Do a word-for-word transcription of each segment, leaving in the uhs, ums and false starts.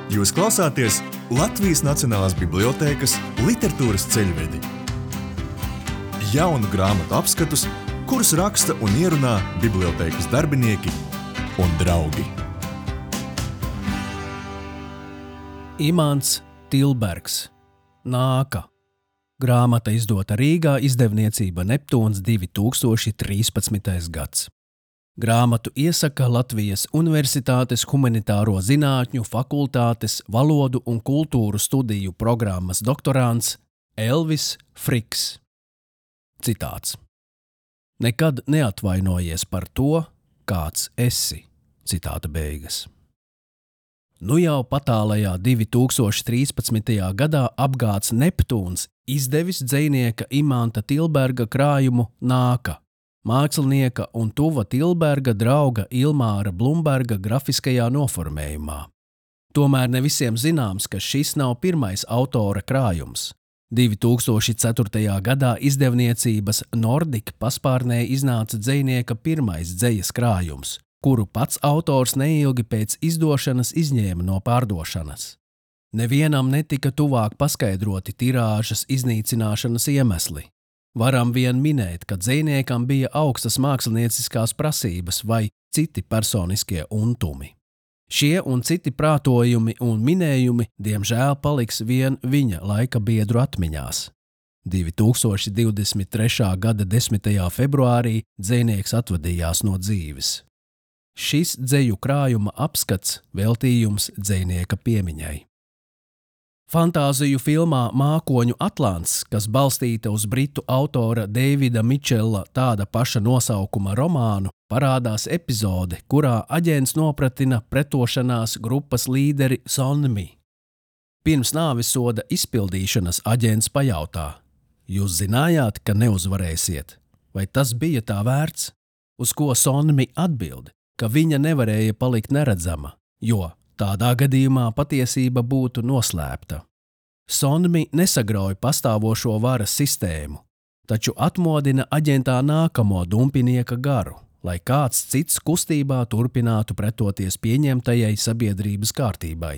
Jūs klausāties Latvijas Nacionālās bibliotēkas literatūras ceļvedi. Jaunu grāmatu apskatus, kurus raksta un ierunā bibliotēkas darbinieki un draugi. Imants Tilbergs. Nāka. Grāmata izdota Rīgā, izdevniecība Neptūns divi tūkstoši trīspadsmitais gads. Grāmatu iesaka Latvijas Universitātes humanitāro zinātņu fakultātes valodu un kultūru studiju programmas doktorants Elvis Friks. Citāts. Nekad neatvainojies par to, kāds esi. Citāta beigas. Nu jau patālajā divi tūkstoši trīspadsmitajā gadā apgāds Neptūns izdevis dzejnieka Imanta Tilberga krājumu Nāka, mākslinieka un tuva Tilberga drauga Ilmāra Blumberga grafiskajā noformējumā. Tomēr ne visiem zināms, ka šis nav pirmais autora krājums. divi tūkstoši ceturtajā gadā izdevniecības Nordik paspārnē iznāca dzejnieka pirmais dzejas krājums, kuru pats autors neilgi pēc izdošanas izņēma no pārdošanas. Nevienam netika tuvāk paskaidroti tirāžas iznīcināšanas iemesli. Varam vien minēt, ka dzejniekam bija augstas mākslinieciskās prasības vai citi personiskie untumi. Šie un citi prātojumi un minējumi, diemžēl, paliks vien viņa laika biedru atmiņās. divi tūkstoši divdesmit trešā gada desmitajā februārī dzejnieks atvadījās no dzīves. Šis dzeju krājuma apskats veltījums dzejnieka piemiņai. Fantāziju filmā Mākoņu Atlants, kas balstīta uz britu autora Davida Mičela tāda paša nosaukuma romānu, parādās epizode, kurā aģents nopratina pretošanās grupas līderi Sonmi. Pirms nāvisoda izpildīšanas aģents pajautā: Jūs zinājāt, ka neuzvarēsiet? Vai tas bija tā vērts? Uz ko Sonmi atbild, ka viņa nevarēja palikt neredzama, jo tādā gadījumā patiesība būtu noslēpta. Sonmi nesagrauj pastāvošo varas sistēmu, taču atmodina aģentā nākamo dumpinieka garu, lai kāds cits kustībā turpinātu pretoties pieņemtajai sabiedrības kārtībai.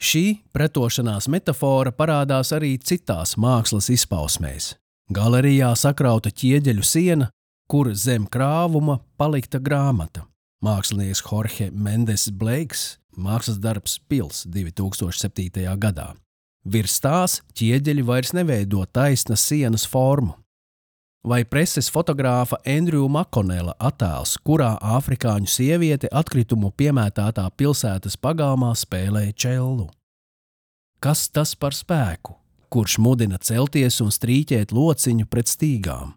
Šī pretošanās metafora parādās arī citās mākslas izpausmēs. Galerijā sakrauta ķieģeļu siena, kur zem krāvuma palikta grāmata. Mākslinieks Jorge Mendes Blakes, mākslas darbs Pils divi tūkstoši septītajā gadā. Virs tās ķieģeļi vairs neveido taisnas sienas formu. Vai preses fotogrāfa Andrew Makonela attēls, kurā āfrikāņu sieviete atkritumu piemētātā pilsētas pagalmā spēlē čellu. Kas tas par spēku, kurš mudina celties un strīķēt lociņu pret stīgām?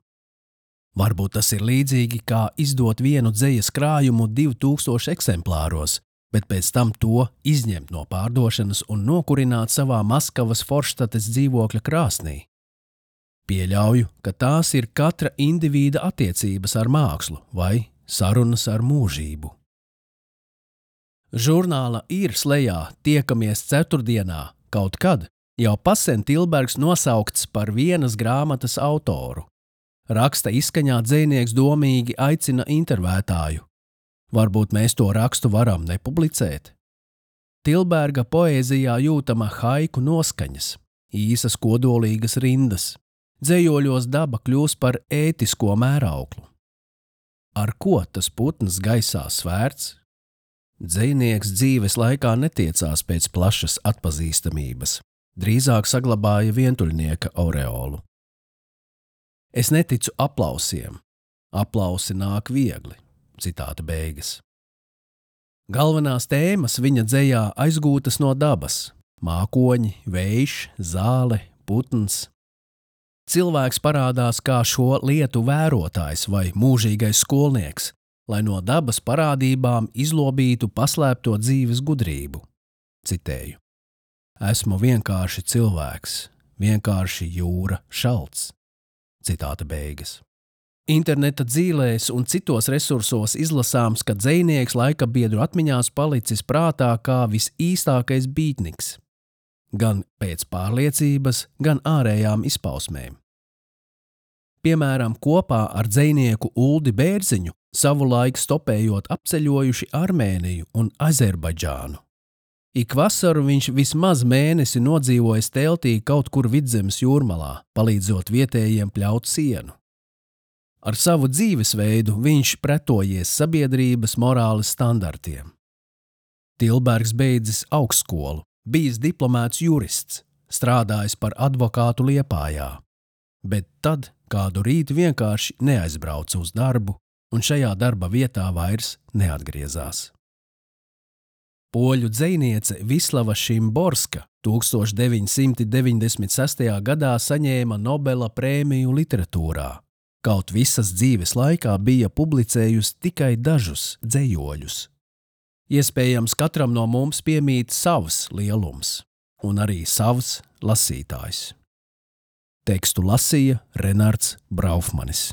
Varbūt tas ir līdzīgi kā izdot vienu dzejas krājumu divu tūkstošu eksemplāros, bet pēc tam to izņemt no pārdošanas un nokurināt savā Maskavas Forštates dzīvokļa krāsnī. Pieļauju, ka tās ir katra indivīda attiecības ar mākslu vai sarunas ar mūžību. Žurnāla Ir slejā Tiekamies ceturtdienā kaut kad jau pasen Tilbergs nosaukts par vienas grāmatas autoru. Raksta izskaņā dzejnieks domīgi aicina intervētāju. Varbūt mēs to rakstu varam nepublicēt? Tilberga poēzijā jūtama haiku noskaņas, īsas kodolīgas rindas. Dzejoļos daba kļūst par ētisko mērauklu. Ar ko tas putns gaisā svērts? Dzejnieks dzīves laikā netiecās pēc plašas atpazīstamības, drīzāk saglabāja vientuļnieka aureolu. Es neticu aplausiem. Aplausi nāk viegli. Citāta beigas. Galvenās tēmas viņa dzejā aizgūtas no dabas. Mākoņi, vējš, zāle, putns. Cilvēks parādās kā šo lietu vērotājs vai mūžīgais skolnieks, lai no dabas parādībām izlobītu paslēpto dzīves gudrību. Citēju. Esmu vienkārši cilvēks, vienkārši jūra šalts. Citāta beigas. Interneta dzīlēs un citos resursos izlasāms, ka dzejnieks laika biedru atmiņās palicis prātā kā visīstākais bītniks. Gan pēc pārliecības, gan ārējām izpausmēm. Piemēram, kopā ar dzejnieku Uldi Bērziņu savulaik stopējot apceļojuši Armēniju un Azerbaidžānu. Ik vasaru viņš vismaz mēnesi nodzīvojis teltī kaut kur Vidzemes jūrmalā, palīdzot vietējiem pļaut sienu. Ar savu dzīvesveidu viņš pretojies sabiedrības morāles standartiem. Tilbergs beidzis augstskolu, bijis diplomēts jurists, strādājis par advokātu Liepājā, bet tad kādu rītu vienkārši neaizbrauca uz darbu un šajā darba vietā vairs neatgriezās. Poļu dzejniece Vislava Šimborska tūkstoš deviņi simti deviņdesmit sestajā gadā saņēma Nobela prēmiju literatūrā, kaut visas dzīves laikā bija publicējusi tikai dažus dzejoļus. Iespējams, katram no mums piemīt savs lielums un arī savs lasītājs. Tekstu lasīja Renards Braufmanis.